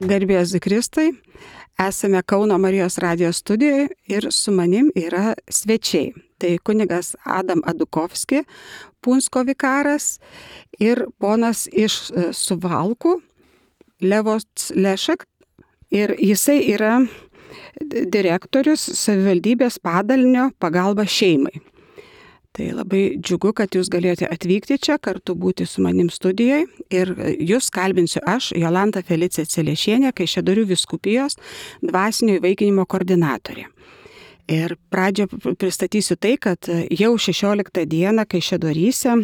Garbė Jėzui Kristui, esame Kauno Marijos radijos studijoje ir su manim yra svečiai. Tai kunigas Adam Adukovski, Punsko vikaras ir ponas iš Suvalkų, Levots Lešek. Ir jisai yra direktorius savivaldybės padalinio pagalba šeimai. Tai labai džiugu, kad jūs galėjote atvykti čia, kartu būti su manim studijoje. Ir jūs kalbinsiu aš, Jolanta Felicija Celiešienė, Kaišiadorių vyskupijos dvasinio įvaikinimo koordinatorė. Ir pradžioje pristatysiu tai, kad jau 16 dieną Kaišiadoryse,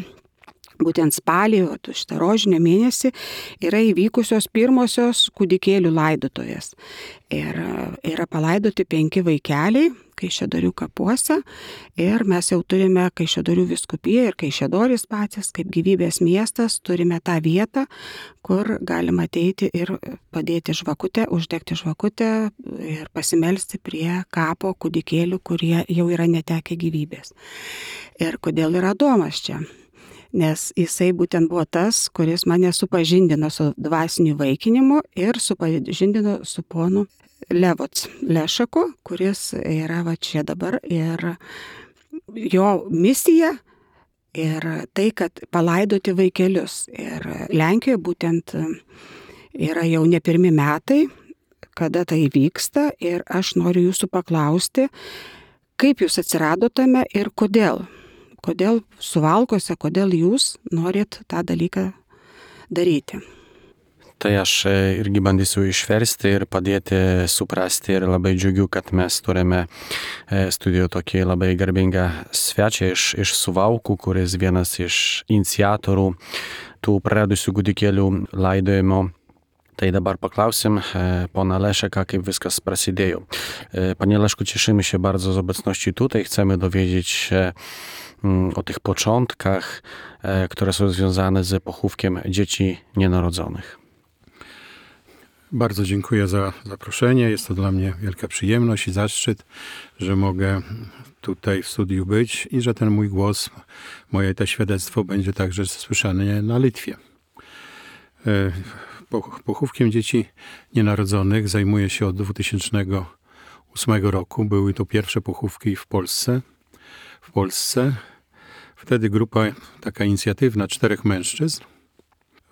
būtent spalį, šitą rožinio mėnesį, yra įvykusios pirmosios kūdikėlių laidotuvės. Ir yra palaidoti 5 vaikeliai Kaišiadorių kapuose. Ir mes jau turime Kaišiadorių vyskupiją ir Kaišiadorys patys, kaip gyvybės miestas, turime tą vietą, kur galima ateiti ir padėti žvakutę, uždegti žvakutę ir pasimelsti prie kapo kūdikėlių, kurie jau yra netekę gyvybės. Ir kodėl yra Adomas čia? Nes jisai būtent buvo tas, kuris mane supažindino su dvasiniu įvaikinimu ir supažindino su ponu Levots Lešeku, kuris yra va čia dabar. Ir jo misija ir tai, kad palaidoti vaikelius. Ir Lenkijoje būtent yra jau ne pirmi metai, kada tai vyksta. Ir aš noriu jūsų paklausti, kaip jūs atsiradote tame ir kodėl? Kodėl Suvalkose, kodėl jūs norit tą dalyką daryti? Tai aš irgi bandysiu išversti ir padėti suprasti ir labai džiugiu, kad mes turime studijoje tokį labai garbingą svečią iš Suvalkų, kuris vienas iš iniciatorių tų praradusių kūdikėlių laidojimo. Tai dabar poklausim pana Leszeka, kaip viskas prasidėjo. Panie Leszku, cieszymy się bardzo z obecności tutaj. Chcemy dowiedzieć się o tych początkach, które są związane z pochówkiem dzieci nienarodzonych. Bardzo dziękuję za zaproszenie. Jest to dla mnie wielka przyjemność i zaszczyt, że mogę tutaj w studiu być i że ten mój głos, moje to świadectwo będzie także słyszane na Litwie. Pochówkiem dzieci nienarodzonych zajmuję się od 2008 roku. Były to pierwsze pochówki w Polsce. Wtedy grupa taka inicjatywna 4 mężczyzn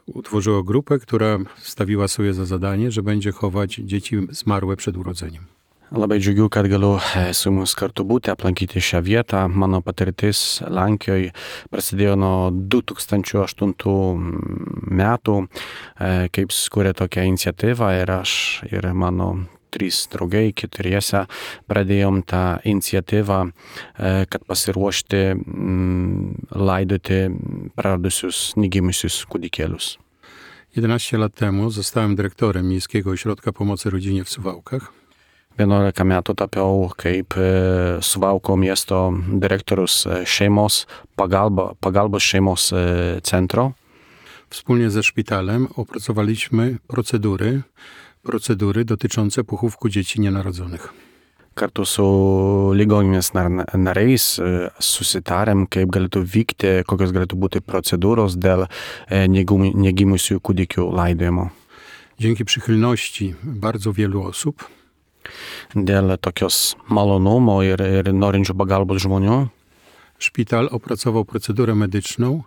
utworzyła grupę, która stawiła sobie za zadanie, że będzie chować dzieci zmarłe przed urodzeniem. Labai džiugiu, kad galiu su jumis kartu būti, aplankyti šią vietą. Mano patirtis Lenkijoje prasidėjo nuo 2008 metų, kaip skūrė tokią iniciatyvą ir aš ir mano 3 draugai, 4 pradėjom tą inicjatyvą, kad pasiruošti laidoti praradusius, negimusius kūdikėlius. 11 lat temu zostałem dyrektorem Miejskiego Ośrodka Pomocy Rodzinie w Suwałkach. 11 metų tapiau kaip Suvalkų miesto direktorius pagalbos šeimos centro. Wspólnie ze szpitalem opracowaliśmy procedury dotyczące pochówku dzieci nienarodzonych. Kartu su ligoninės nariais susitarėm, kaip galėtų vykti, kokios galėtų būti procedūros dėl negimusių kūdikių laidojimo. Dzięki przychylności bardzo wielu osób dėl tokios malonumo ir norinčių pagalbos žmonių szpital opracował procedurę medyczną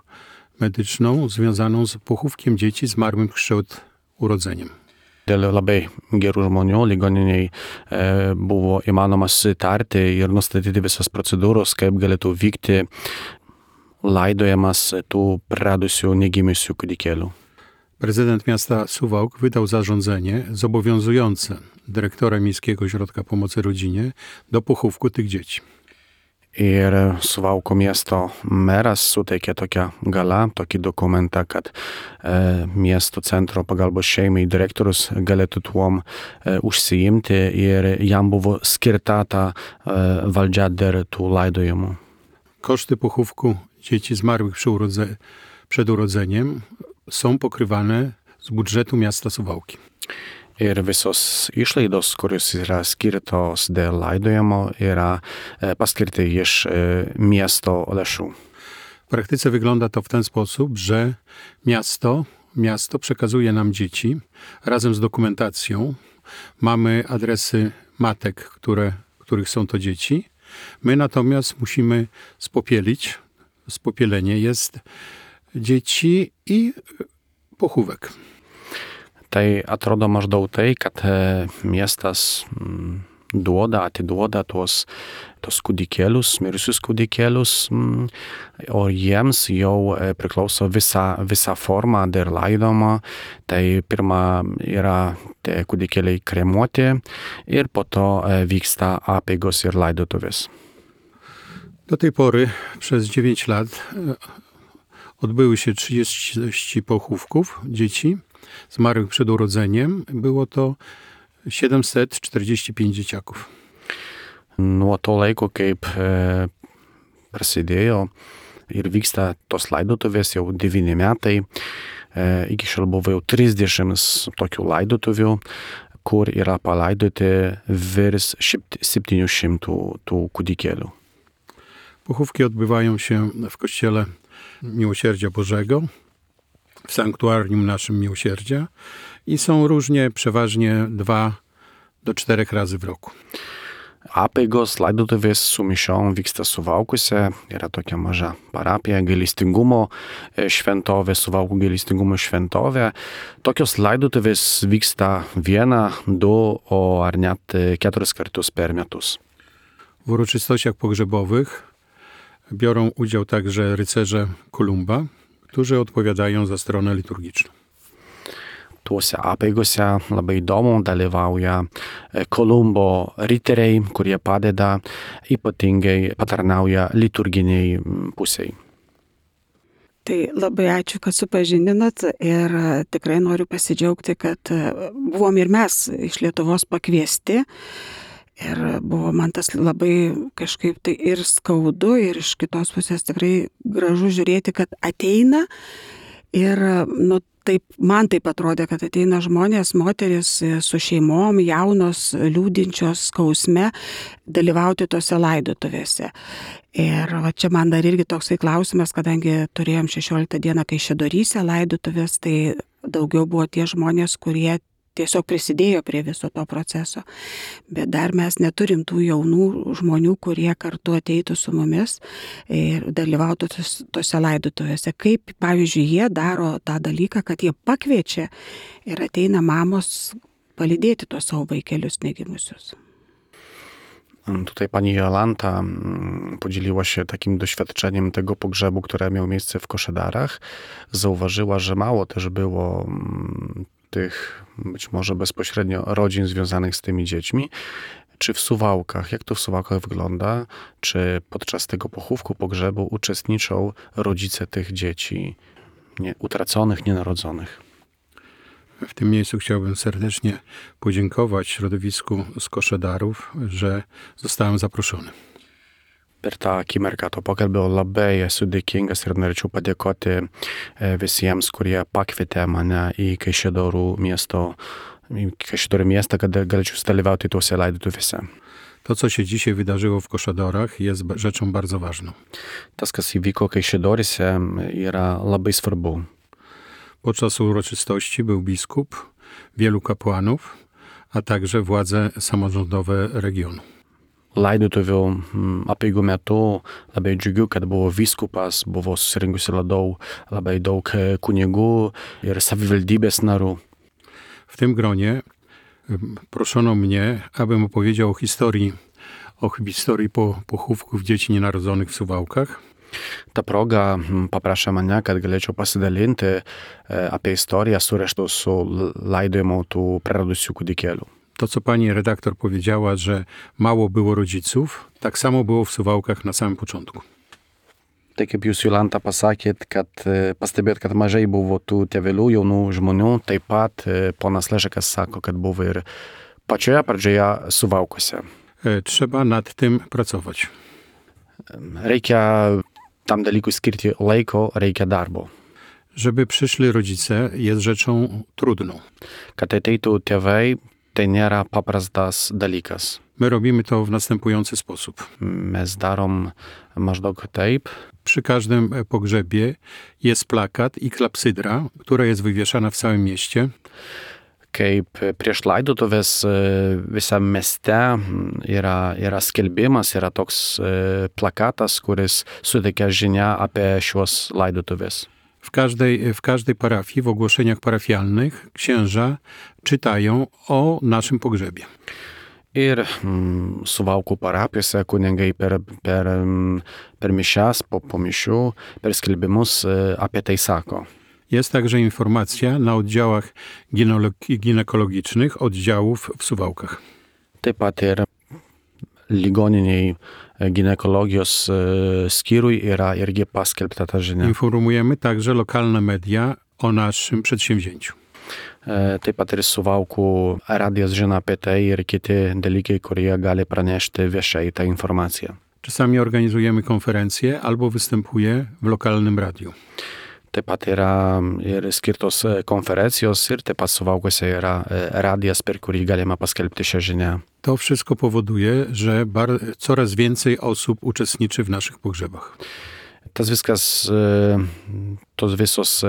związaną z pochówkiem dzieci zmarłych przed urodzeniem. Dėl labai gerų žmonių ligoniniai buvo įmanoma susitarti ir nustatyti visas procedūros, kaip galėtų vykti laidojimas tų praradusių negimusių kūdikėlių. Prezydent miasta Suwałk wydał zarządzenie zobowiązujące dyrektora Miejskiego Ośrodka Pomocy Rodzinie do pochówku tych dzieci. Ir Suvalkų miesto meras suteikė tokią galą, tokį dokumentą, kad miesto centro pagalbos šeimai direktorius galėtų tuom užsiimti ir jam buvo skirta ta valdžia dėl tų laidojimų. Koszty pochówku dzieci zmarłych przed urodzeniem są pokrywane z budżetu miasta Suwałki. Ir visos išlaidos, kurios yra skirtos dėl laidojimo, yra paskirti iš miesto lėšų. W praktyce wygląda to w ten sposób, że miasto miasto przekazuje nam dzieci razem z dokumentacją. Mamy adresy matek, których są to dzieci. My natomiast musimy spopielić. Spopielenie jest dzieci i pochówek. Tai atrodo maždaug tai, kad miestas atiduoda tuos kūdikėlius, mirusius kūdikėlius, o jiems jau priklauso visa forma dar laidoma. Tai pirma yra tie kūdikėliai kremuoti ir po to vyksta apeigos ir laidotuvės. Do tej pory przez 9 lat odbyły się 30 pochówków dzieci zmarłych przed urodzeniem. Było to 745 dzieciaków. Nuo to laiko, kaip prasidėjo ir vyksta tos laidotuvės jau 9 metai, iki šiol buvo jau 30 tokių laidotuvių, kur yra palaidoti virš 700 tų kūdikėlių. Pochówki odbywają się w Kościele Miłosierdzia Bożego, w sanktuarium naszym Miłosierdzia i są różnie, przeważnie 2 do 4 razy w roku. Apeigos laidotuvės su mišiom vyksta Suvalkuose, yra tokia maža parapija, gailestingumo šventovė, Suvalkų gailestingumo šventovė. Tokios laidotuvės vyksta 1, 2, ar net 4 kartus per metus. W uroczystościach pogrzebowych biorą udział także rycerze Kolumba, którzy odpowiadają za stronę liturgiczną. Tuose apeigose labai įdomu dalyvauja Kolumbo riteriai, kurie padeda, ypatingai patarnauja liturginiai pusiai. Tai labai ačiū, kad supažindinat ir tikrai noriu pasidžiaugti, kad buvom ir mes iš Lietuvos pakviesti. Ir buvo man tas labai kažkaip tai ir skaudu, ir iš kitos pusės tikrai gražu žiūrėti, kad ateina ir taip, man taip atrodė, kad ateina žmonės, moteris su šeimom, jaunos, liūdinčios skausme, dalyvauti tose laidotuvėse. Ir čia man dar irgi toksai klausimas, kadangi turėjom 16 dieną Kaišiadoryse laidotuvės, tai daugiau buvo tie žmonės, kurie tiesiog prisidėjo prie viso to proceso. Bet dar mes neturim tų jaunų žmonių, kurie kartu ateitų su mumis ir dalyvautų tose laidotuvėse. Kaip, pavyzdžiui, jie daro tą dalyką, kad jie pakviečia ir ateina mamos palydėti tuos savo vaikelius negimusius. Tutaj pani Jolanta podzieliła się takim doświadczeniem tego pogrzebu, które miał miejsce w Koszedarach. Zauważyła, że mało też było tych być może bezpośrednio rodzin związanych z tymi dziećmi. Czy w Suwałkach, jak to w Suwałkach wygląda? Czy podczas tego pochówku, pogrzebu uczestniczą rodzice tych dzieci utraconych, nienarodzonych? W tym miejscu chciałbym serdecznie podziękować środowisku z Koszedarów, że zostałem zaproszony. Per tą akimirką to pokalbio labai esu dėkingas ir norėčiau padėkoti visiems, kurie pakvietė mane į Kaišiadorių miestą, kad galėčiau dalyvauti tuose laidotuvėse. To, co się dzisiaj wydarzyło w Koszadorach, jest rzeczą bardzo ważną. Tas, kas įvyko Kaišiadoryse, yra labai svarbu. Podczas uroczystości był biskup, wielu kapłanów, a także władze samorządowe regionu. Laidotuvių apeigų metu labai džiugiu, kad buvo vyskupas, buvo susirinkusi labai daug kunigų ir savivaldybės narų. W tym gronie proszono mnie, abym opowiedział o historii pochówków dzieci nienarodzonych w Suwałkach. Ta proga paprašė mane, kad galėčiau pasidalinti apie istoriją suraštų su laidojimu tų praradusių kūdikėlių. To, co pani redaktor powiedziała, że mało było rodziców, tak samo było w Suwałkach na samym początku. Tai kaip jūs, Jolanta, pasakėt, kad pastebėt, kad mažai buvo tų tėvelių, jaunų žmonių, taip pat ponas Lešekas sako, kad buvo ir pačioje pradžioje Suwałkuose. Trzeba nad tym pracować. Reikia tam dalykui skirti laiko, reikia darbo. Żeby przyszli rodzice, jest rzeczą trudną. Kad ateitų tėvai, tai nėra paprastas dalykas. My robimy to w następujący sposób. Mes darom maždaug taip. Przy każdym pogrzebie jest plakat i klapsydra, która jest wywieszana w całym mieście. Kaip prieš laidotuves visam mieste yra skelbimas, yra toks plakatas, kuris suteikia žinią apie šios laidotuves. W każdej parafii, w ogłoszeniach parafialnych księża czytają o naszym pogrzebie. Ir Suvalkų parapijose kunigai per mišias, po mišių, per skelbimus apie tai sako. Jest także informacja na oddziałach ginekologicznych oddziałów w Suwałkach. Taip pat ir ligoniniai ginekologijos skyriui yra irgi paskelbta ta žinia. Informujemy także lokalne media o naszym przedsięwzięciu. Taip pat ir Suvalkų radijas žino apie tai ir kiti dalykai, kurie gali pranešti viešai tą informaciją. Czasami organizujemy konferencje albo występuję w lokalnym radiu. Taip pat yra ir skirtos konferencijos ir taip pat Suvalkuose yra radijas, per kurį galima paskelbti šią žinią. To wszystko powoduje, że coraz więcej osób uczestniczy w naszych pogrzebach. Tas viskas, tos visos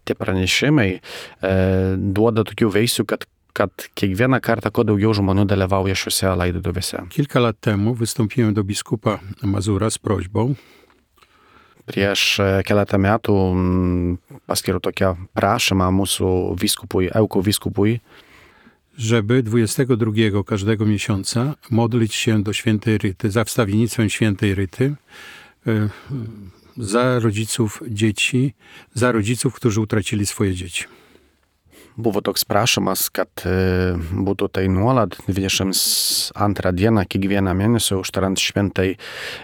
tie pranešimai duoda tokių veisių, kad kiekvieną kartą kuo daugiau žmonių dalyvauja šiuose laidotuvėse. Kilka lat temu wystąpiłem do biskupa Mazura z prośbą. Prieš keletą metų paskiriau tokią prašymą mūsų vyskupui, Ełku vyskupui, żeby 22 każdego miesiąca modlić się do świętej Ryty, za wstawiennictwem świętej Ryty, za rodziców dzieci, za rodziców, którzy utracili swoje dzieci. Buvo toks prašymas, kad būtų tai nuolat 22 dieną kiekvieną mėnesį užtarant šventai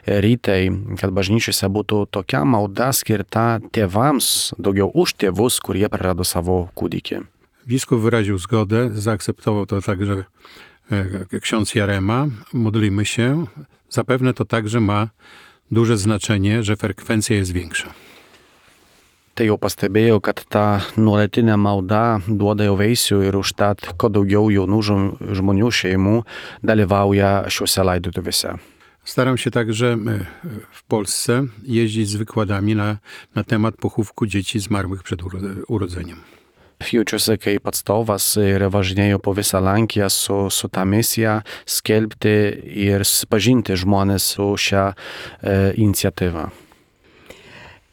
rytai, kad bažnyčiose būtų tokia malda skirta tėvams, daugiau už tėvus, kurie prarado savo kūdikį. Biskup wyraził zgodę, zaakceptował to także ksiądz Jarema. Modlimy się. Zapewne to także ma duże znaczenie, że frekwencja jest większa. Tai jau pastebėjau, kad ta nuolatinė malda duoda jau vaisių ir užtat, kuo daugiau jaunų žmonių šeimų dalyvauja šiuose laidotuvėse. Staram się także w Polsce jeździć z wykładami na temat pochówku dzieci zmarłych przed urodzeniem. Jaučiuosi kaip atstovas ir važinėjau po visą Lenkiją su ta misija skelbti ir susipažinti žmonės su šią iniciatyvą.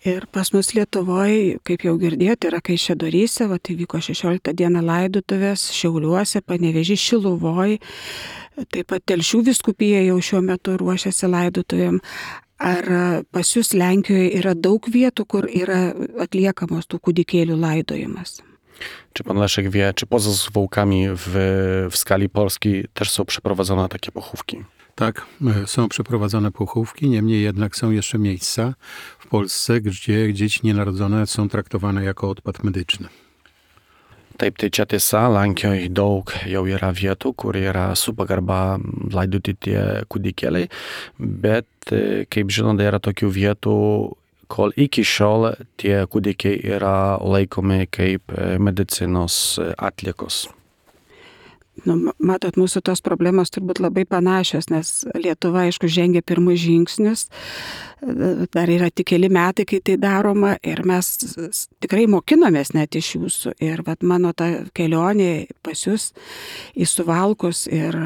Ir pas mus Lietuvoje, kaip jau girdėjote, yra Kaišiadoryse, įvyko 16 dieną laidotuvės, Šiauliuose, Panevėžy, Šiluvoj, taip pat Telšių vyskupija jau šiuo metu ruošiasi laidotuvėm. Ar pas jūs Lenkijoje yra daug vietų, kur yra atliekamos tų kūdikėlių laidojimas? Czy pan Leszek wie, czy poza Suwałkami w skali Polski też są przeprowadzone takie pochówki? Tak, są przeprowadzone pochówki, niemniej jednak są jeszcze miejsca w Polsce, gdzie dzieci nienarodzone są traktowane jako odpad medyczny. Taip, tai čia tiesa, Lenkijoje daug jau yra vietų, kur yra su pagarba laidoti tie kūdikėliai, bet, kaip žinote, yra tokių vietų, kol iki šiol tie kūdikiai yra laikomi kaip medicinos atliekos. Matot, mūsų tos problemos turbūt labai panašios, nes Lietuva, aišku, žengia pirmus žingsnius, dar yra tik keli metai, kai tai daroma ir mes tikrai mokinomės net iš jūsų. Ir mano ta kelionė pas jūs į Suvalkus ir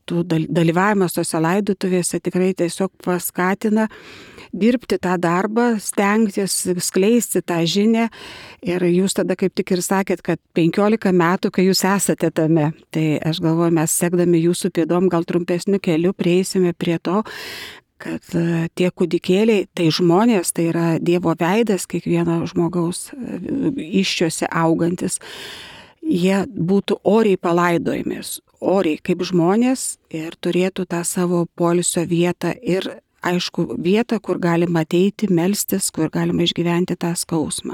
tų dalyvavimas tose laidotuvėse tikrai tiesiog paskatina dirbti tą darbą, stengtis, skleisti tą žinią. Ir jūs tada kaip tik ir sakėt, kad 15 metų, kai jūs esate tame. Tai aš galvoju, mes sekdami jūsų pėdom gal trumpesniu keliu prieisime prie to, kad tie kūdikėliai, tai žmonės, tai yra Dievo veidas, kiekvieno žmogaus iščiose augantis, jie būtų oriai palaidojimės, oriai kaip žmonės ir turėtų tą savo poilsio vietą ir aišku, vietą, kur galima ateiti, melstis, kur galima išgyventi tą skausmą.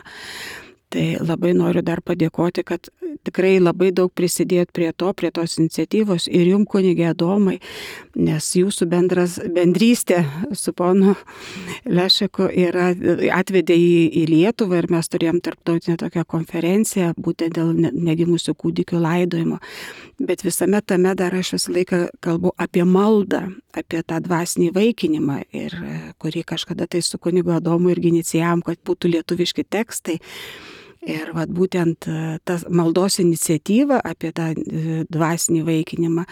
Tai labai noriu dar padėkoti, kad tikrai labai daug prisidėjot prie tos iniciatyvos ir jum, kunige Adomai, nes jūsų bendrystė su ponu Lešeku atvedė į Lietuvą ir mes turėjom tarptautinę tokią konferenciją būtent dėl negimusių kūdikių laidojimo. Bet visame tame dar aš visą laiką kalbu apie maldą, apie tą dvasinį įvaikinimą, ir kurį kažkada tai su kunigu Adomu irgi inicijavom, kad būtų lietuviški tekstai. Ir vat būtent ta maldos iniciatyva apie tą dvasinį įvaikinimą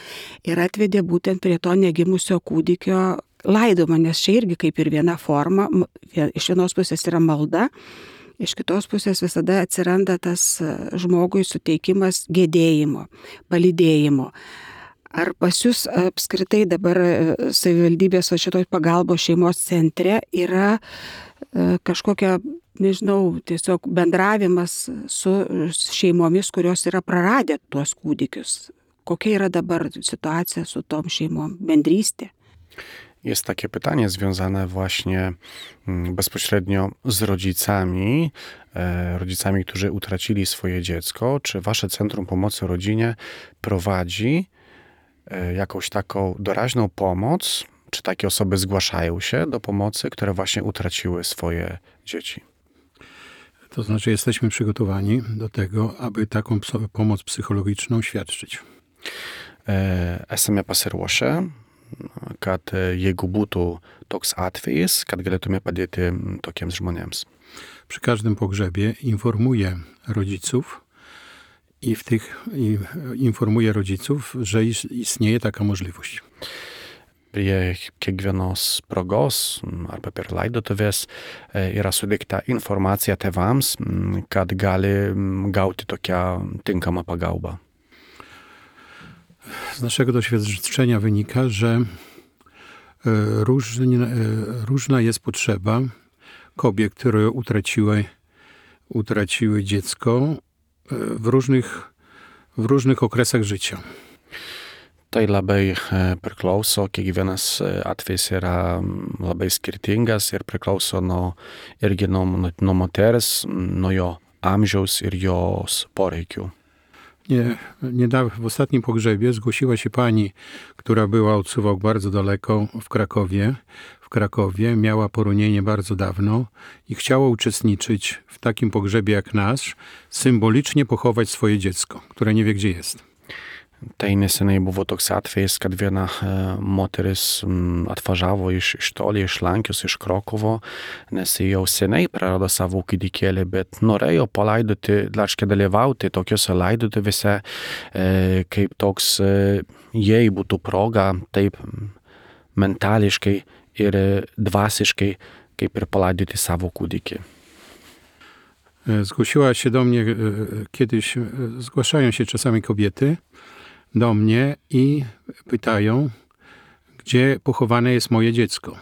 ir atvedė būtent prie to negimusio kūdikio laidojimo, nes čia irgi kaip ir viena forma, iš vienos pusės yra malda, iš kitos pusės visada atsiranda tas žmogui suteikimas gedėjimo, palydėjimo. Ar pas jūs apskritai dabar savivaldybės šitoj pagalbos šeimos centre yra kažkokia, nežinau, tiesiog bendravimas su šeimomis, kurios yra praradę tuos kūdikius? Kokia yra dabar sytuacja su tom šeimom, bendrystė? Jest takie pytanie związane właśnie bezpośrednio z rodzicami, którzy utracili swoje dziecko. Czy wasze Centrum Pomocy Rodzinie prowadzi jakąś taką doraźną pomoc? Czy takie osoby zgłaszają się do pomocy, które właśnie utraciły swoje dzieci? To znaczy jesteśmy przygotowani do tego, aby taką pomoc psychologiczną świadczyć. Esame pasiruošę, kad jeigu būtų toks atvejis, kad galėtume padėti tokiems žmonėms. Przy każdym pogrzebie informuję rodziców i informuję rodziców, że istnieje taka możliwość. Prie kiekvienos progos arba per laidotuvės yra suteikta informacija tėvams, kad gali gauti tokią tinkamą pagalbą. Z naszego doświadczenia wynika, że różna jest potrzeba kobiet, które utraciły dziecko w różnych okresach życia. Tai labai priklauso, kiekvienas atvejis yra labai skirtingas ir priklauso irgi nuo moters, nuo jo amžiaus ir jos poreikių. Niedawno w ostatnim pogrzebie zgłosiła się pani, która była od Suwałk bardzo daleko w Krakowie, miała poronienie bardzo dawno i chciała uczestniczyć w takim pogrzebie jak nasz, symbolicznie pochować swoje dziecko, które nie wie gdzie jest. Tai neseniai buvo toks atvejis, kad viena moteris atvažiavo iš toli, iš Lenkijos, iš Krokovo, nes jau seniai prarado savo kūdikėlį, bet norėjo palaidoti, dalyvauti tokiuose laidotuvėse, kaip toks jei būtų proga, taip mentališkai ir dvasiškai, kaip ir palaidoti savo kūdikį. Zgłosiła się do mnie kiedyś, zgłaszają się czasami kobiety do mnie i pytają, gdzie pochowane jest moje dziecko.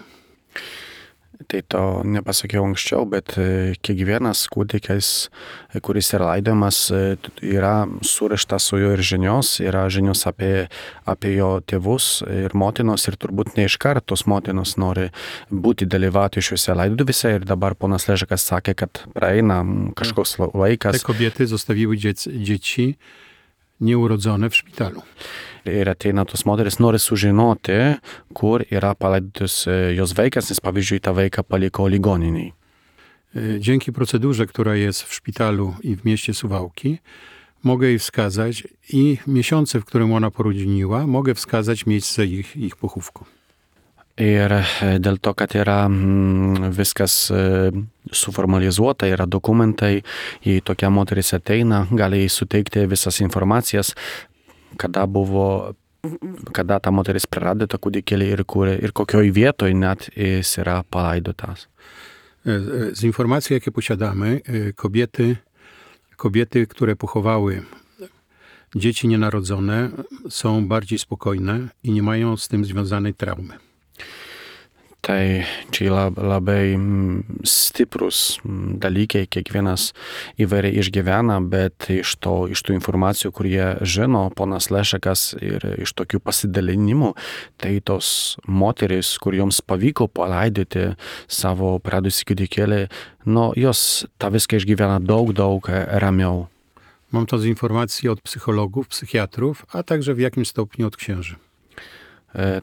Tai to nepasakiau anksčiau, bet kiekvienas kūdikis, kuris yra laidojamas, yra surištas su juo ir žinios, yra žinios apie jo tėvus ir motinos, ir turbūt ne iš karto tos motinos nori dalyvauti šiuose laidotuvėse, ir dabar ponas Lešekas sakė, kad praeina kažkoks laikas. Te kobiety zostawiły dzieci nieurodzone w szpitalu. Ir ateina tos moteris, nori sužinoti, kur yra palaidotas jos vaikas, nes pavyzdžiui, tą vaiką paliko ligoniniai. Dzięki procedurze, która jest w szpitalu i w mieście Suwałki, mogę jej wskazać i miesiące, w którym ona poroniła, mogę wskazać miejsce ich pochówku. Ir dėl to, kad yra viskas suformalizuota, yra dokumentai, jei tokia moteris ateina, gali jai suteikti visas informacijas, kada ta moteris prarado tą kūdikėlį ir kokioj vietoj net jis yra palaidotas. Z informacji, jakie posiadamy, kobiety, które pochowały dzieci nienarodzone, są bardziej spokojne i nie mają z tym związanej traumy. Tai čia labai stiprus dalykai, kiekvienas įvairiai išgyvena, bet iš tų informacijų, kurie žino ponas Lešekas, ir iš tokių pasidalinimų, tai tos moterys, kur joms pavyko palaidoti savo pradusį kūdikėlį, jos tą viską išgyvena daug ramiau. Mam to z informacji od psychologów, psychiatrów, a także w jakimś stopniu od księży.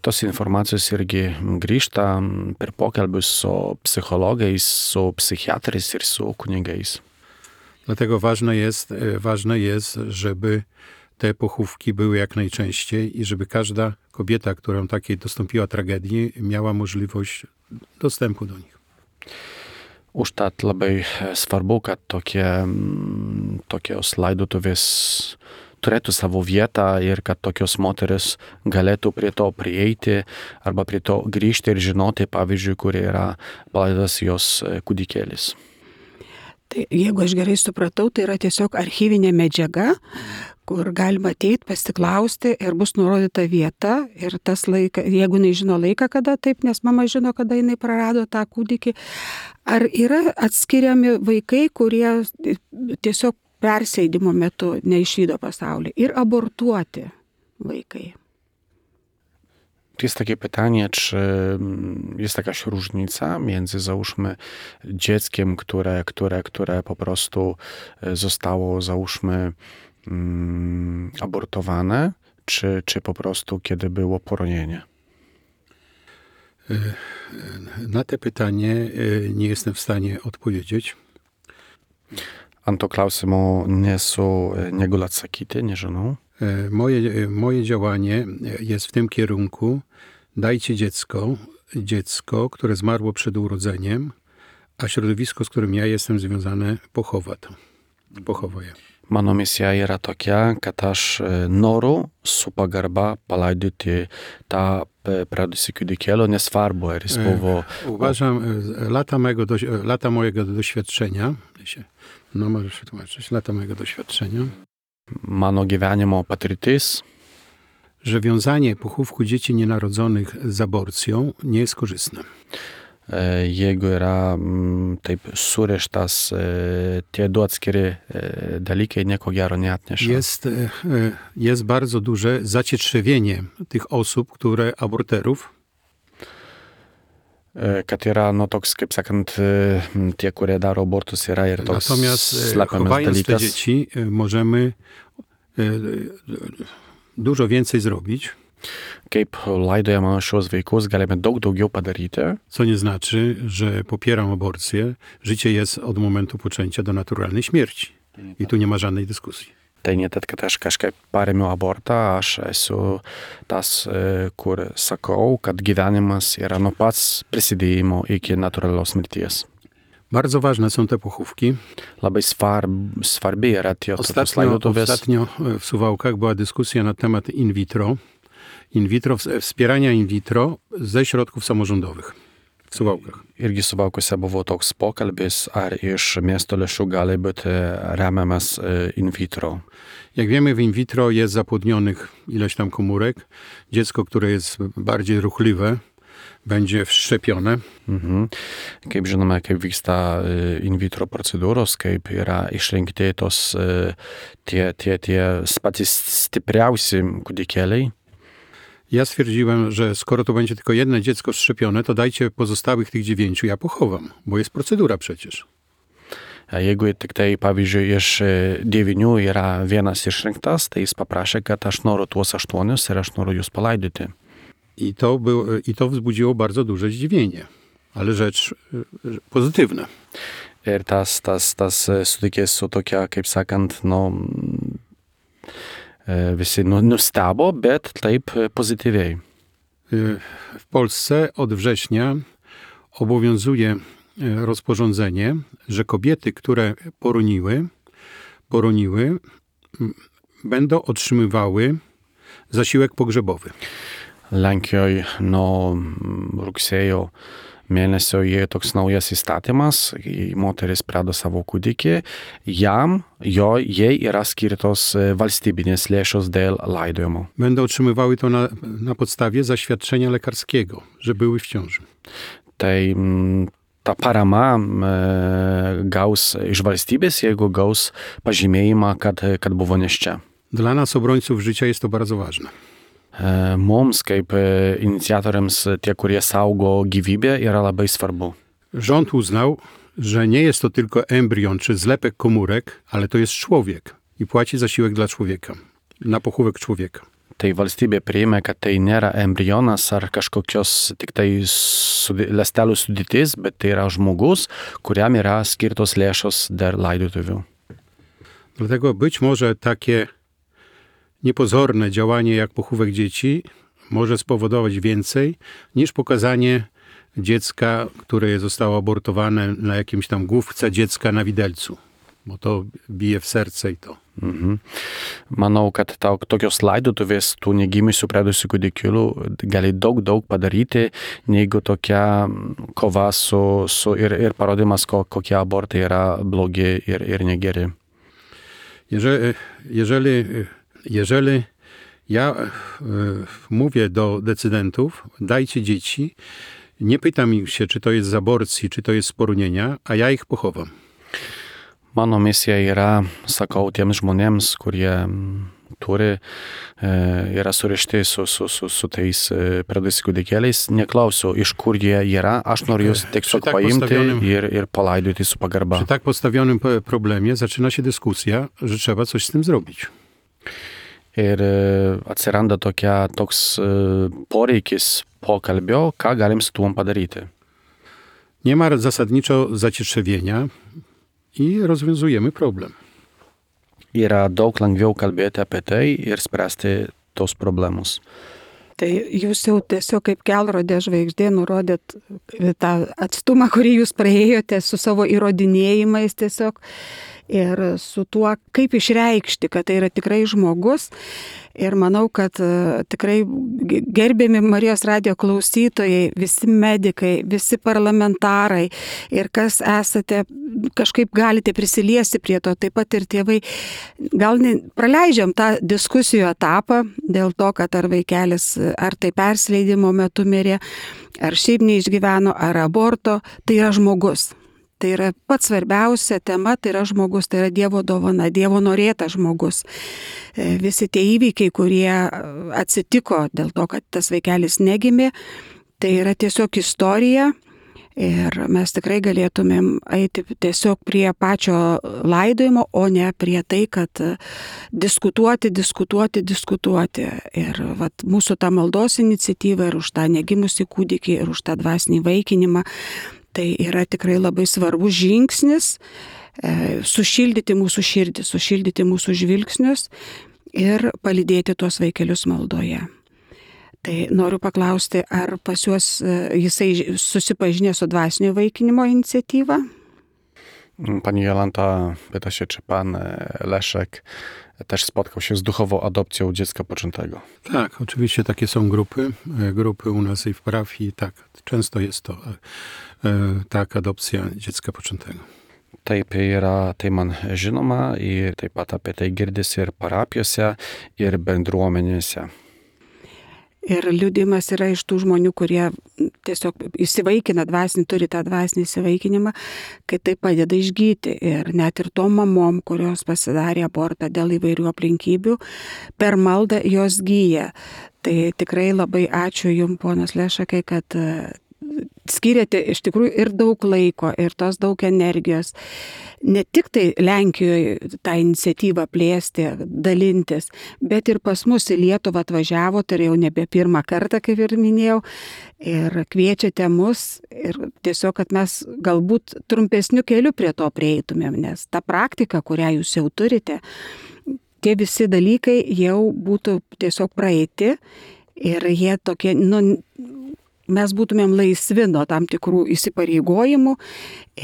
Tos informacijos irgi grįžta per pokalbius su psychologais, su psychiatrais ir su kunigais. Dlatego ważne jest, żeby te pochówki były jak najczęściej i żeby każda kobieta, którą takiej dostąpiła tragedii, miała możliwość dostępu do nich. Užtat labai svarbu, kad tokios laidotuvės turėtų savo vietą ir kad tokios moteris galėtų prie to prieiti arba prie to grįžti ir žinoti, pavyzdžiui, kur yra palaidotas jos kūdikėlis. Tai jeigu aš gerai supratau, tai yra tiesiog archyvinė medžiaga, kur galima ateiti, pasiklausti ir bus nurodyta vieta ir tas laikas, jeigu jinai žino laiką, kada taip, nes mama žino, kada jinai prarado tą kūdikį, ar yra atskiriami vaikai, kurie tiesiog persėdimo metu neišvydo pasaulį ir abortuoti vaikai? Jest takie pytanie, czy jest jakaś różnica między, załóżmy, dzieckiem, które po prostu zostało, załóżmy, abortowane, czy po prostu kiedy było poronienie? Na te pytanie nie jestem w stanie odpowiedzieć. Ant to klausimo nesu negaliu atsakyti, nežinau. Moje działanie jest w tym kierunku: dajcie dziecko, które zmarło przed urodzeniem, a środowisko, z którym ja jestem związany, pochowa je. Mano misija yra tokia, kad aš noriu su pagarba palaidoti tą praradusį kūdikėlį, nesvarbu, ar jis buvo... Uważam, lata mojego doświadczenia, możesz się tłumaczyć, lata mojego doświadczenia, mano gyvenimo patirtis, że wiązanie pochówku dzieci nienarodzonych z aborcją nie jest korzystne. Jeigu yra taip surištas tie du atskiri dalykai, nieko gero neatneša. Jest bardzo duże zacietrzewienie tych osób, aborterów. Kad yra, toks, kaip sakant, tie, kurie daro abortus, yra ir toks Natomiast slepiamas chowając dalykas. te dzieci, możemy dużo więcej zrobić. Kaip laidojama šios vaikus, galime daug daugiau padaryti. Co nie znaczy, że popieram aborcję. Życie jest od momentu poczęcia do naturalnej śmierci. I tu nie ma żadnej dyskusji. Tai ne tad, kad aš kažkaip paremiu abortą, aš esu tas, kur sakau, kad gyvenimas yra nuo pats prisidėjimo iki natūralios mirties. Bardzo ważne są te pochówki. Labai svarbi yra tie tokios laidotuvės. Ostatnio w Suwałkach była dyskusja na temat in vitro. Wspierania in vitro ze środków samorządowych w Suwałkach. Irgi Suwałkuose buvo toks pokalbis, ar iš miesto lėšų gali būti remiamas in vitro. Jak wiemy, w in vitro jest zapłodnionych ileś tam komórek. Dziecko, które jest bardziej ruchliwe, będzie wszczepione. Kaip žinome, kaip vyksta in vitro procedūros, kaip yra išrinkti tos tie patys stipriausi kūdikėliai. Ja stwierdziłem, że skoro to będzie tylko jedno dziecko wszczepione, to dajcie pozostałych tych 9, ja pochowam, bo jest procedura przecież. Jeigu tik tai, pavyzdžiui, iš 9 yra vienas išrinktas, tai jis paprašė, kad aš noriu tuos 8 ir aš noriu jūs palaidoti. I to wzbudziło bardzo duże zdziwienie, ale rzecz pozytywna. Ir tas sutikė su tokia, kaip sakant, visi nustebo, bet taip pozytywiej. W Polsce od września obowiązuje rozporządzenie, że kobiety, które poroniły, będą otrzymywały zasiłek pogrzebowy. Lenkijoje nuo rugsėjo mėnesio įėjo toks naujas įstatymas, moteris prarado savo kūdikį, jai yra skirtos valstybinės lėšos dėl laidojimo. Będą otrzymywały to na podstawie zaświadczenia lekarskiego, że były w ciąży. Tai ta parama gaus iš valstybės, jeigu gaus pažymėjimą, kad buvo nėščia. Dla nas, obrońców życia, jest to bardzo ważne. Mums, kaip inicjatoriams, tie, kurie saugo gyvybę, yra labai svarbu. Rząd uznał, że nie jest to tylko embrion czy zlepek komórek, ale to jest człowiek. i płaci zasiłek dla człowieka, na pochówek człowieka. Tai valstybė priėmė, kad tai nėra embrionas ar kažkokios tik tai ląstelių sudėtis, bet tai yra žmogus, kuriam yra skirtos lėšos dėl laidotuvių. Dlatego być może takie niepozorne działanie jak pochówek dzieci może spowodować więcej niż pokazanie dziecka, które zostało abortowane na jakimś tam główce dziecka na widelcu, bo to bije w serce i to. Manau, kad tokios laidotuvės tų negimysių pradusių kūdikėlių gali daug padaryti, negu tokia kova ir parodymas, kokie abortai yra blogi ir negeri. Jeżeli ja mówię do decydentów, dajcie dzieci, nie pytam ich się, czy to jest z aborcji, czy to jest z poronienia, a ja ich pochowam. Mano misija yra, sakau, tiems žmonėms, kurie yra surišti su tais pradusiais kūdikėliais, neklausiu, iš kur jie yra, aš noriu jūs tiesiog paimti ir palaidoti su pagarba. Przy tak postawionym problemie zaczyna się dyskusja, że trzeba coś z tym zrobić. Ir atsiranda toks poreikis pokalbio, ką galim su tuom padaryti. Nie ma zasadniczo zacietrzewienia i rozwiązujemy problem. Yra daug lengviau kalbėti apie tai ir spręsti tos problemus. Tai jūs jau tiesiog kaip kelrodė žvaigždė nurodėt tą atstumą, kurį jūs praėjote su savo įrodinėjimais tiesiog ir su tuo, kaip išreikšti, kad tai yra tikrai žmogus. Ir manau, kad tikrai gerbiami Marijos radijo klausytojai, visi medikai, visi parlamentarai ir kas esate, kažkaip galite prisiliesti prie to, taip pat ir tėvai. Gal praleidžiam tą diskusijų etapą dėl to, kad ar vaikelis, ar tai persileidimo metu mirė, ar šiaip neišgyveno, ar aborto, tai yra žmogus. Tai yra pats svarbiausia tema, tai yra žmogus, tai yra Dievo dovana, Dievo norėtas žmogus. Visi tie įvykiai, kurie atsitiko dėl to, kad tas vaikelis negimė, tai yra tiesiog istorija ir mes tikrai galėtumėm eiti tiesiog prie pačio laidojimo, o ne prie tai, kad diskutuoti. Ir mūsų ta maldos iniciatyva ir už tą negimusį kūdikį ir už tą dvasinį vaikinimą. Tai yra tikrai labai svarbus žingsnis sušildyti mūsų širdį, sušildyti mūsų žvilgsnius ir palydėti tuos vaikelius maldoje. Tai noriu paklausti, ar pas juos jisai susipažinė su dvasinio vaikinimo iniciatyva? Pani Jolanta pyta się, czy pan Leszek też spotkał się z duchową adopcją dziecka poczętego. Tak, oczywiście takie są grupy u nas i w parafii, tak, często jest to tak, adopcja dziecka poczętego. Taip yra, tai man žinoma ir taip pat apie tai girdisi ir parapijose, ir bendruomenėse. Ir liudijimas yra iš tų žmonių, kurie tiesiog įsivaikina dvasinį, turi tą dvasinį įsivaikinimą, kai tai padeda išgyti. Ir net ir tom mamom, kurios pasidarė abortą dėl įvairių aplinkybių, per maldą jos gyja. Tai tikrai labai ačiū Jums, ponas Lešakai, kad skiriate iš tikrųjų ir daug laiko, ir tos daug energijos. Ne tik tai Lenkijoje tą iniciatyvą plėsti, dalintis, bet ir pas mus į Lietuvą atvažiavo, tai jau nebe pirmą kartą, kaip ir minėjau, ir kviečiate mus ir tiesiog, kad mes galbūt trumpesniu keliu prie to prieitumėm, nes ta praktika, kurią jūs jau turite, tie visi dalykai jau būtų tiesiog praeiti ir jie tokie, mes būtumėm laisvi nuo tam tikrų įsipareigojimų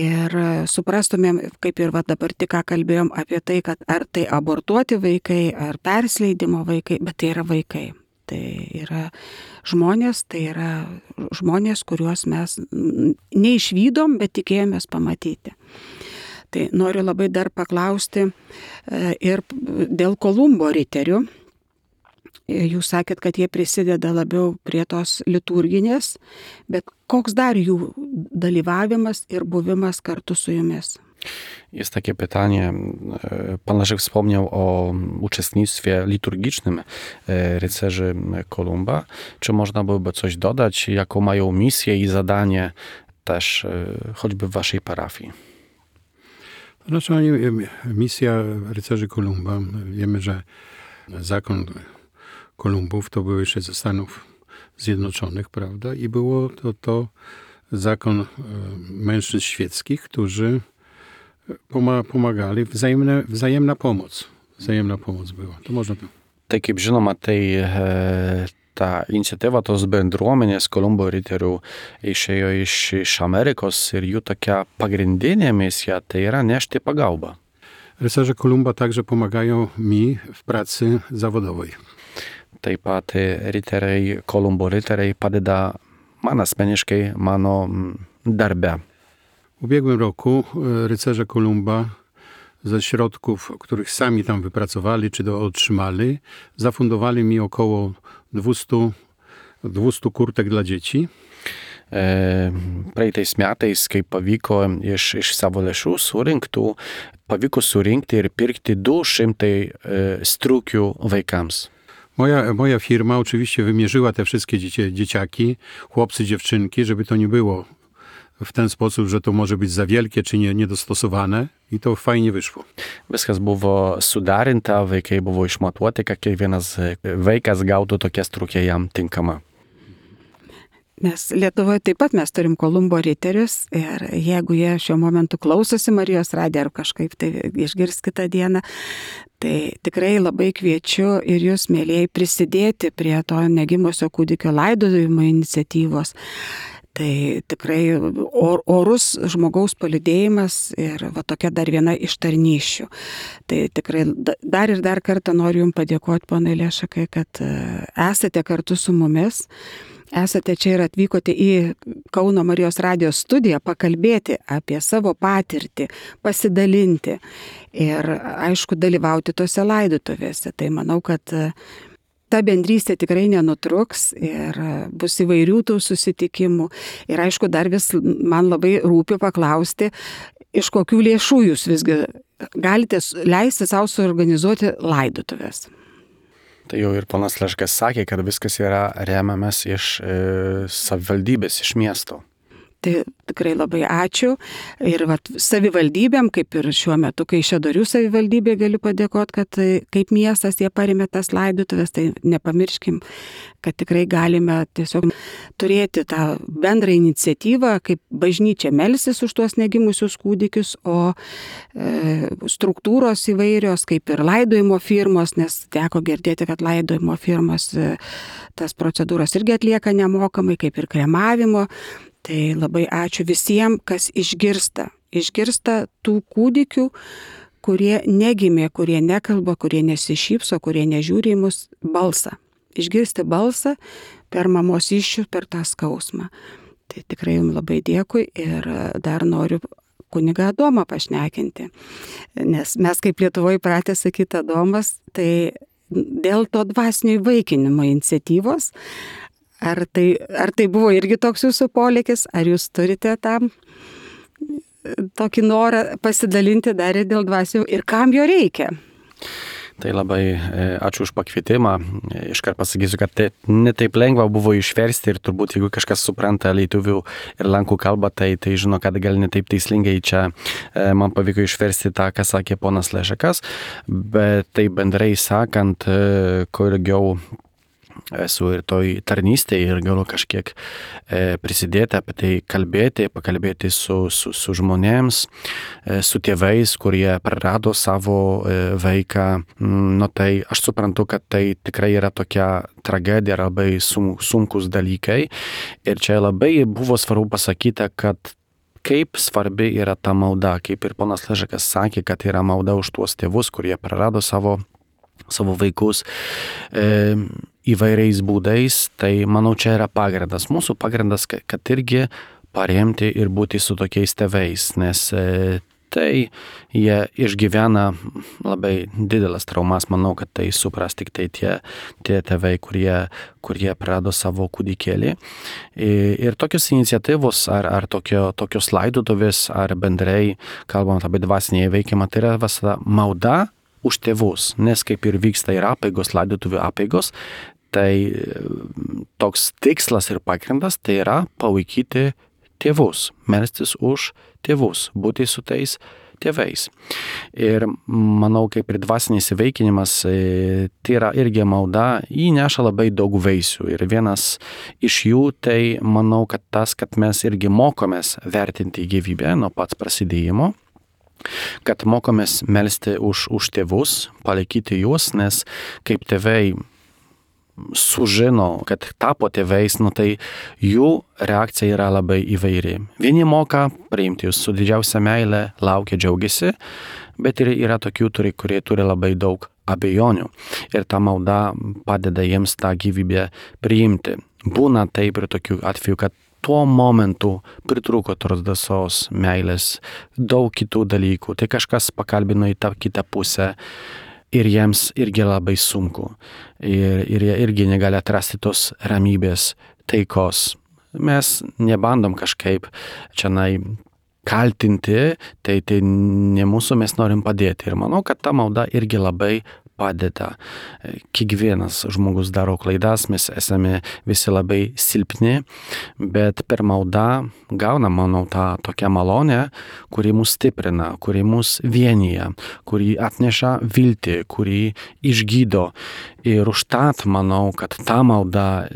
ir suprastumėm, kaip ir dabar tik ką kalbėjom apie tai, kad ar tai abortuoti vaikai, ar persileidimo vaikai, bet tai yra vaikai. Tai yra žmonės, kuriuos mes neišvydom, bet tikėjomės pamatyti. Tai noriu labai dar paklausti ir dėl Kolumbo riterių. Jūs sakėt, kad jie prisideda labiau prie tos liturginės, bet koks dar jų dalyvavimas ir buvimas kartu su jumis? Jest takie pytanie, pan Leszek wspomniał o uczestnictwie liturgicznym rycerzy Kolumba. Czy można byłoby coś dodać, jaką mają misję i zadanie też choćby w waszej parafii? Znaczy, misja rycerzy Kolumba, wiemy, że zakon Kolumbów to był jeszcze ze Stanów Zjednoczonych, prawda? I było to zakon mężczyzn świeckich, którzy pomagali, wzajemna pomoc. Wzajemna pomoc była. To można to. Tai kaip žinoma, tai ta iniciatyva tos bendruomenės Kolumbo riterių išėjo iš Amerikos ir jų tokia pagrindinė misija tai yra nešti pagalbą. Rycerze Kolumba także pomagają mi w pracy zawodowej. Taip pat Kolumbo riteriai padeda man asmeniškai mano darbe. W ubiegłym roku rycerze Kolumba ze środków, których sami tam wypracowali czy otrzymali, zafundowali mi około 200 kurtek dla dzieci. Praeitais metais, kai pavyko iš savo lėšų surinktų, pavyko surinkti ir pirkti 200 striukių vaikams. Moja firma oczywiście wymierzyła te wszystkie dzieciaki, chłopcy, dziewczynki, żeby to nie było w ten sposób, że to może być za wielkie czy niedostosowane i to fajnie wyszło. Viskas buvo sudarinta, vaikai buvo išmatuoti, kad kiekvienas vaikas gautų tokią striukę jam tinkamą. Nes Lietuvoje taip pat mes turim Kolumbo riterius ir jeigu jie šiuo momentu klausosi Marijos radijo ar kažkaip tai išgirs kitą dieną, tai tikrai labai kviečiu ir jūs, mėlėjai, prisidėti prie to negimusio kūdikio laidojimo iniciatyvos. Tai tikrai orus žmogaus palydėjimas ir va tokia dar viena iš tarnysčių. Tai tikrai dar kartą noriu Jums padėkoti, ponai Lešakai, kad esate kartu su mumis. Esate čia ir atvykote į Kauno Marijos radijos studiją pakalbėti apie savo patirtį, pasidalinti ir, aišku, dalyvauti tose laidotuvėse. Tai manau, kad ta bendrystė tikrai nenutruks ir bus įvairių tų susitikimų. Ir, aišku, dar vis man labai rūpi paklausti, iš kokių lėšų jūs visgi galite leisti savo suorganizuoti laidotuvės. Tai jau ir ponas Leškas sakė, kad viskas yra remiamas iš savivaldybės, iš miesto. Tai tikrai labai ačiū. Ir savivaldybėm, kaip ir šiuo metu, kai Kaišiadorių savivaldybė galiu padėkoti, kad kaip miestas jie parėmė tas laidotuvės, tai nepamirškim, kad tikrai galime tiesiog turėti tą bendrą iniciatyvą, kaip bažnyčia melsis už tuos negimusius kūdikius, o struktūros įvairios, kaip ir laidojimo firmos, nes teko girdėti, kad laidojimo firmos tas procedūras irgi atlieka nemokamai, kaip ir kremavimo. Tai labai ačiū visiems, kas išgirsta tų kūdikių, kurie negimė, kurie nekalba, kurie nesišypso, kurie nežiūri į mus balsą. Išgirsti balsą per mamos iššių, per tą skausmą. Tai tikrai Jums labai dėkui ir dar noriu kunigą Adomą pašnekinti. Nes mes kaip Lietuvoje pratę sakyti Adomas, tai dėl to dvasinio įvaikinimo iniciatyvos, ar tai buvo irgi toks jūsų polėkis, ar jūs turite tam tokį norą pasidalinti dar ir dėl dvasinio ir kam jo reikia? Tai labai ačiū už pakvietimą. Iškart pasakysiu, kad ne taip lengva buvo išversti ir turbūt jeigu kažkas supranta lietuvių ir lenkų kalbą, tai žino, kad gal ne taip taislingai čia man pavyko išversti tą, ką sakė ponas Lešakas, bet tai bendrai sakant, kuo ilgiau esu ir toj tarnystėje ir galiu kažkiek prisidėti apie tai pakalbėti su žmonėms, su tėvais, kurie prarado savo vaiką. Tai aš suprantu, kad tai tikrai yra tokia tragedija, labai sunkus dalykai. Ir čia labai buvo svarbu pasakyti, kad kaip svarbi yra ta malda, kaip ir ponas Lešakas sakė, kad yra malda už tuos tėvus, kurie prarado savo vaikus įvairiais būdais, tai manau čia yra pagrindas. Mūsų pagrindas, kad irgi paremti ir būti su tokiais tėvais, nes tai jie išgyvena labai didelas traumas, manau, kad tai supras tik tai tie tėvai, kurie prarado savo kūdikėlį. Ir tokios iniciatyvos ar tokios laidotuvės, ar bendrai, kalbant apie dvasinį įveikimą, tai yra visada malda už tėvus, nes kaip ir vyksta ir apeigos, laidotuvių apeigos, tai toks tikslas ir pagrindas tai yra palaikyti tėvus, melstis už tėvus, būti su tais tėvais. Ir manau, kaip ir dvasinis įvaikinimas, tai yra irgi malda, jį neša labai daug vaisių. Ir vienas iš jų, tai manau, kad tas, kad mes irgi mokomės vertinti gyvybę nuo pats prasidėjimo, kad mokomės melsti už tėvus, palaikyti juos, nes kaip tėvai sužino, kad tapo tėvais, tai jų reakcija yra labai įvairi. Vieni moka priimti jūs su didžiausia meile, laukia, džiaugiasi, bet ir yra tokių, kurie turi labai daug abejonių. Ir ta malda padeda jiems tą gyvybę priimti. Būna taip ir tokių atvejų, kad tuo momentu pritrūko tos drąsos, meilės, daug kitų dalykų. Tai kažkas pakalbino į tą kitą pusę. Ir jiems irgi labai sunku. Ir jie irgi negali atrasti tos ramybės, taikos. Mes nebandom kažkaip čia kaltinti, tai ne mūsų, mes norim padėti. Ir manau, kad ta malda irgi labai padeda. Kiekvienas žmogus daro klaidas, mes esame visi labai silpni, bet per maldą gaunam, manau, tą tokią malonę, kuri mus stiprina, kuri mus vienyje, kuri atneša viltį, kuri išgydo. Ir užtat manau, kad ta malda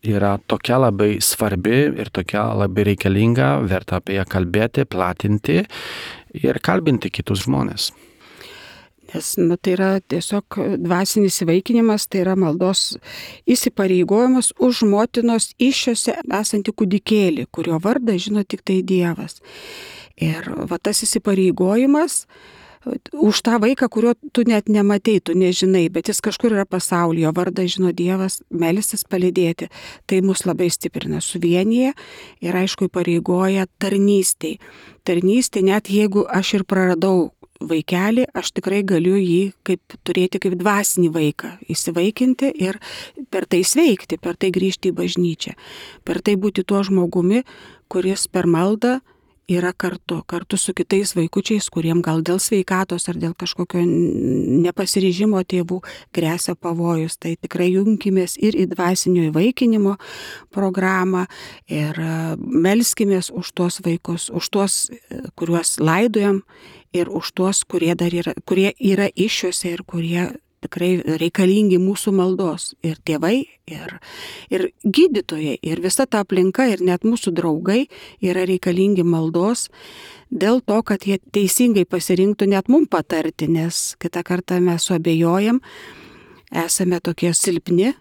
yra tokia labai svarbi ir tokia labai reikalinga, verta apie ją kalbėti, platinti ir kalbinti kitus žmonės. Nes tai yra tiesiog dvasinis įvaikinimas, tai yra maldos įsipareigojimas už motinos įsčiose esantį kūdikėlį, kurio vardą žino tik tai Dievas. Ir tas įsipareigojimas už tą vaiką, kurio tu net nematei, tu nežinai, bet jis kažkur yra pasaulyje, vardą žino Dievas, melistis palydėti. Tai mus labai stiprina, suvienyje ir aišku įpareigoja tarnystei. Tarnystei, net jeigu aš ir praradau vaikelį, aš tikrai galiu jį turėti kaip dvasinį vaiką, įsivaikinti ir per tai sveikti, per tai grįžti į bažnyčią, per tai būti tuo žmogumi, kuris per maldą yra kartu su kitais vaikučiais, kuriem gal dėl sveikatos ar dėl kažkokio nepasiryžimo tėvų gresia pavojus. Tai tikrai junkimės ir į dvasinio įvaikinimo programą ir melskimės už tuos vaikus, už tuos, kuriuos laidojam, ir už tuos, kurie yra iššiose ir kurie tikrai reikalingi mūsų maldos. Ir tėvai, ir gydytojai, ir visa ta aplinka, ir net mūsų draugai yra reikalingi maldos dėl to, kad jie teisingai pasirinktų net mum patarti, nes kitą kartą mes suabejojam, esame tokie silpni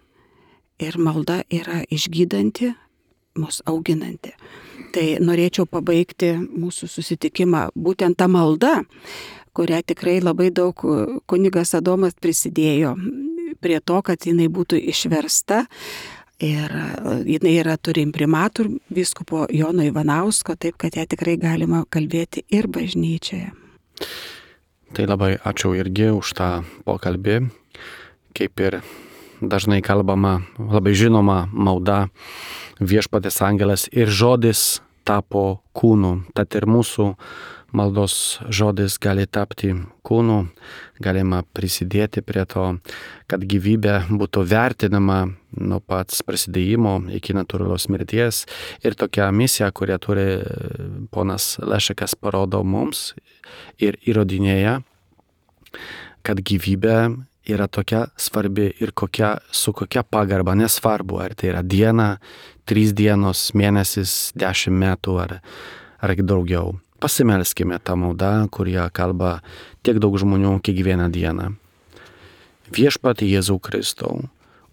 ir malda yra išgydanti, mus auginanti. Tai norėčiau pabaigti mūsų susitikimą būtent tą maldą, kurią tikrai labai daug kunigas Adomas prisidėjo prie to, kad jinai būtų išversta. Ir jinai turi imprimatur vyskupo Jono Ivanausko, taip kad ją tikrai galima kalbėti ir bažnyčioje. Tai labai ačiū irgi už tą pokalbį. Kaip ir dažnai kalbama, labai žinoma malda, Viešpaties angelas ir žodis tapo kūnu. Tad ir mūsų maldos žodis gali tapti kūnu, galima prisidėti prie to, kad gyvybė būtų vertinama nuo pats prasidėjimo iki natūralios mirties. Ir tokia misija, kurią turi ponas Lešekas, parodo mums ir įrodinėja, kad gyvybė yra tokia svarbi ir su kokia pagarba, nesvarbu, ar tai yra diena, 3 dienos, mėnesis, 10 metų ar daugiau. Pasimelskime tą maldą, kurie kalba tiek daug žmonių kiekvieną dieną. Viešpatie Jėzau Kristau,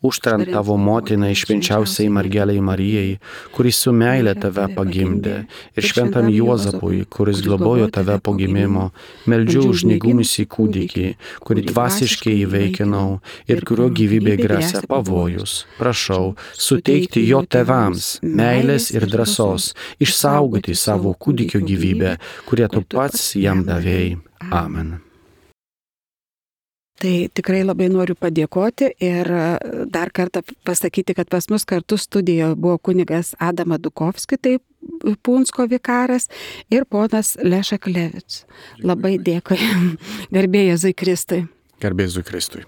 užtarant tavo motiną švenčiausiai mergelei Marijai, kuris su meile tave pagimdė, ir šventam Juozapui, kuris globojo tave po gimimo, meldžiu už negimusį kūdikį, kurį dvasiškai įvaikinau ir kurio gyvybė gresia pavojus. Prašau, suteikti jo tėvams meilės ir drąsos, išsaugoti savo kūdikio gyvybę, kurią tu pats jam davėjai. Amen. Tai tikrai labai noriu padėkoti ir dar kartą pasakyti, kad pas mus kartu studijoje buvo kunigas Adam Adukovski, tai Punsko vikaras, ir ponas Lešek Levic. Labai dėkui. Garbė Jėzui Kristui. Garbė Jėzui Kristui.